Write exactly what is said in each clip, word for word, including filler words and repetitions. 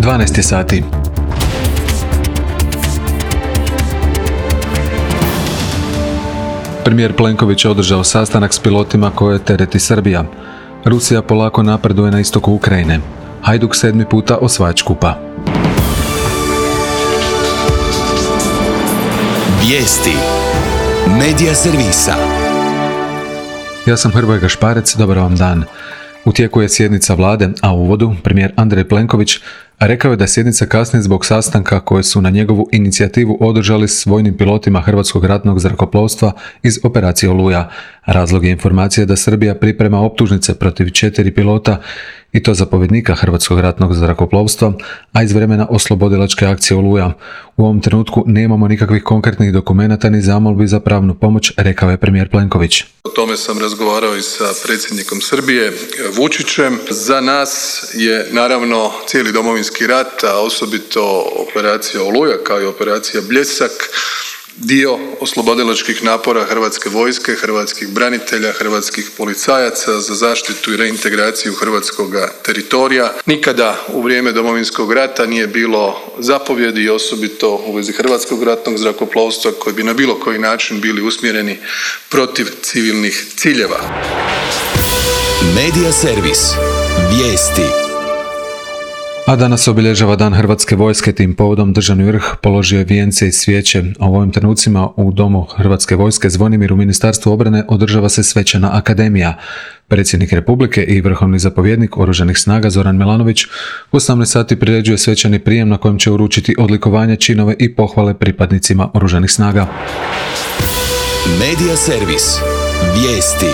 dvanaest je sati. Premijer Plenković je održao sastanak s pilotima koje tereti Srbija. Rusija polako napreduje na istoku Ukrajine. Hajduk sedmi puta osvajač kupa. Vijesti Medija servisa. Ja sam Hrvoje Gašparec, dobar vam dan. U tijeku je sjednica vlade, a u uvodu premijer Andrej Plenković rekao je da sjednica kasni zbog sastanka koje su na njegovu inicijativu održali s vojnim pilotima Hrvatskog ratnog zrakoplovstva iz operacije Oluja. Razlog je informacije da Srbija priprema optužnice protiv četiri pilota, i to zapovjednika Hrvatskog ratnog zrakoplovstva, a iz vremena oslobodilačke akcije Oluja. U ovom trenutku nemamo nikakvih konkretnih dokumenata ni zamolbi za pravnu pomoć, rekao je premijer Plenković. O tome sam razgovarao i sa predsjednikom Srbije Vučićem. Za nas je naravno cijeli Domovinski rat, a osobito operacija Oluja kao i operacija Bljesak, dio oslobodilačkih napora Hrvatske vojske, hrvatskih branitelja, hrvatskih policajaca za zaštitu i reintegraciju hrvatskog teritorija. Nikada u vrijeme Domovinskog rata nije bilo zapovjedi i osobito u vezi Hrvatskog ratnog zrakoplovstva koji bi na bilo koji način bili usmjereni protiv civilnih ciljeva. Medija servis. Vijesti. A danas obilježava Dan Hrvatske vojske, tim povodom državni vrh položio je vijence i svijeće. A u ovim trenucima u Domu Hrvatske vojske Zvonimir u Ministarstvu obrane održava se svečana akademija. Predsjednik Republike i vrhovni zapovjednik Oružanih snaga Zoran Milanović u osamnaest sati priređuje svečani prijem na kojem će uručiti odlikovanje, činove i pohvale pripadnicima Oružanih snaga. Medija servis. Vijesti.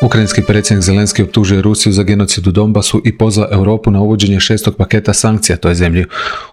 Ukrajinski predsjednik Zelenski optužuje Rusiju za genocid u Donbasu i pozva Europu na uvođenje šestog paketa sankcija toj zemlji.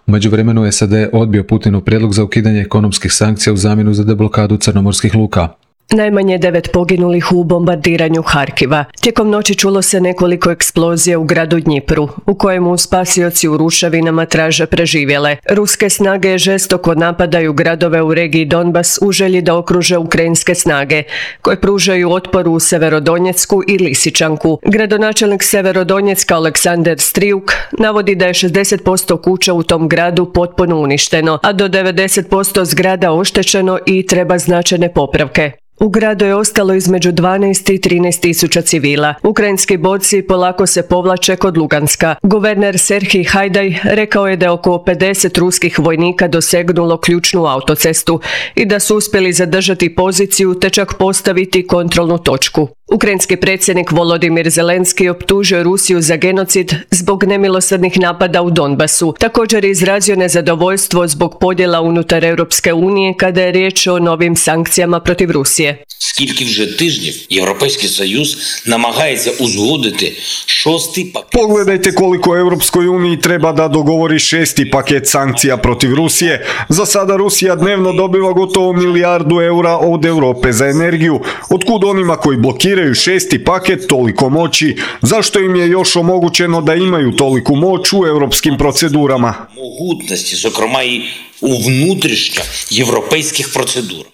U međuvremenu S A D odbio Putinov prijedlog za ukidanje ekonomskih sankcija u zamjenu za deblokadu crnomorskih luka. Najmanje devet poginulih u bombardiranju Harkiva. Tijekom noći čulo se nekoliko eksplozija u gradu Dnjipru, u kojemu spasioci u ruševinama traže preživjele. Ruske snage žestoko napadaju gradove u regiji Donbas u želji da okruže ukrajinske snage, koje pružaju otpor u Severodonjecku i Lisičanku. Gradonačelnik Severodonjecka Aleksandar Striuk navodi da je šezdeset posto kuća u tom gradu potpuno uništeno, a do devedeset posto zgrada oštećeno i treba značajne popravke. U gradu je ostalo između dvanaest i trinaest tisuća civila. Ukrajinski borci polako se povlače kod Luganska. Guverner Serhij Hajdaj rekao je da je oko pedeset ruskih vojnika dosegnulo ključnu autocestu i da su uspjeli zadržati poziciju te čak postaviti kontrolnu točku. Ukrajinski predsjednik Volodimir Zelenski optužio Rusiju za genocid zbog nemilosrdnih napada u Donbasu. Također je izrazio nezadovoljstvo zbog podjela unutar Europske unije kada je riječ o novim sankcijama protiv Rusije. Скільки вже тижнів Європейський Союз намагається узгодити šesti paket. Pogledajte koliko Europskoj uniji treba da dogovori šesti paket sankcija protiv Rusije. Za sada Rusija dnevno dobiva gotovo milijardu eura od Europe za energiju. Otkud onima koji blokiraju šesti paket toliko moći? Zašto im je još omogućeno da imaju toliku moć u europskim procedurama? Могутності, зокрема і у внутрішньоєвропейських процедурах.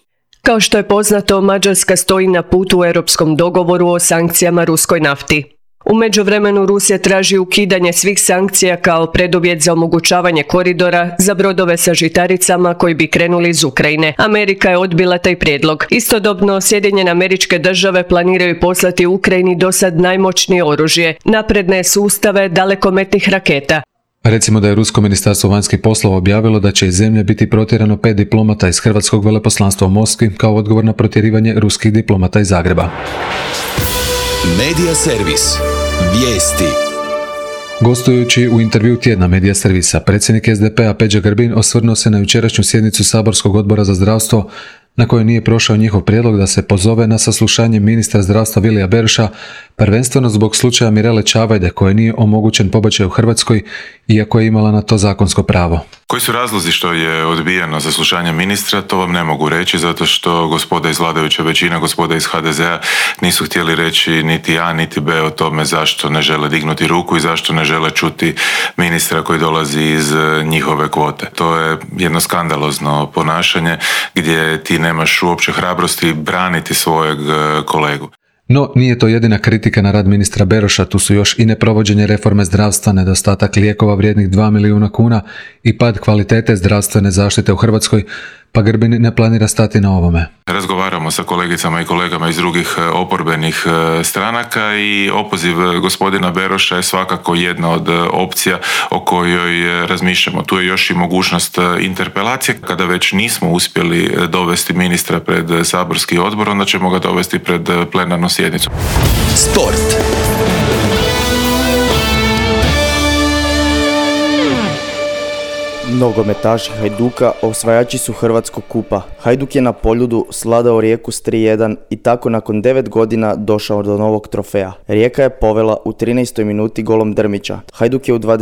Kao što je poznato, Mađarska stoji na putu u europskom dogovoru o sankcijama ruskoj nafti. U međuvremenu Rusija traži ukidanje svih sankcija kao preduvjet za omogućavanje koridora za brodove sa žitaricama koji bi krenuli iz Ukrajine. Amerika je odbila taj prijedlog. Istodobno, Sjedinjene Američke Države planiraju poslati Ukrajini dosad najmoćnije oružje, napredne sustave dalekometnih raketa. Recimo da je Rusko ministarstvo vanjskih poslova objavilo da će iz zemlje biti protjerano pet diplomata iz Hrvatskog veleposlanstva u Moskvi kao odgovor na protjerivanje ruskih diplomata iz Zagreba. Medija servis. Vijesti. Gostujući u intervju tjedna Medija servisa, predsjednik S D P-a Peđa Grbin osvrnuo se na jučerašnju sjednicu Saborskog odbora za zdravstvo, na kojoj nije prošao njihov prijedlog da se pozove na saslušanje ministra zdravstva Vilija Beroša, prvenstveno zbog slučaja Mirele Čavajde, koje nije omogućen pobačaj u Hrvatskoj, iako je imala na to zakonsko pravo. Koji su razlozi što je odbijeno saslušanje ministra, to vam ne mogu reći, zato što gospoda iz vladajuće većine, gospoda iz H D Z-a nisu htjeli reći niti A, niti B o tome zašto ne žele dignuti ruku i zašto ne žele čuti ministra koji dolazi iz njihove kvote. To je jedno skandalozno ponašanje gdje ti nemaš uopće hrabrosti braniti svojeg kolegu. No, nije to jedina kritika na rad ministra Beroša, tu su još i neprovođenje reforme zdravstva, nedostatak lijekova vrijednih dva milijuna kuna i pad kvalitete zdravstvene zaštite u Hrvatskoj, pa Grbin ne planira stati na ovome. Razgovaramo sa kolegicama i kolegama iz drugih oporbenih stranaka i opoziv gospodina Beroša je svakako jedna od opcija o kojoj razmišljamo. Tu je još i mogućnost interpelacije. Kada već nismo uspjeli dovesti ministra pred saborski odbor, onda ćemo ga dovesti pred plenarnu sjednicu. Sport. Nogometaši Hajduka osvajači su Hrvatskog kupa. Hajduk je na Poljudu sladao Rijeku s tri jedan i tako nakon devet godina došao do novog trofeja. Rijeka je povela u trinaestoj minuti golom Drmića. Hajduk je u dvadeset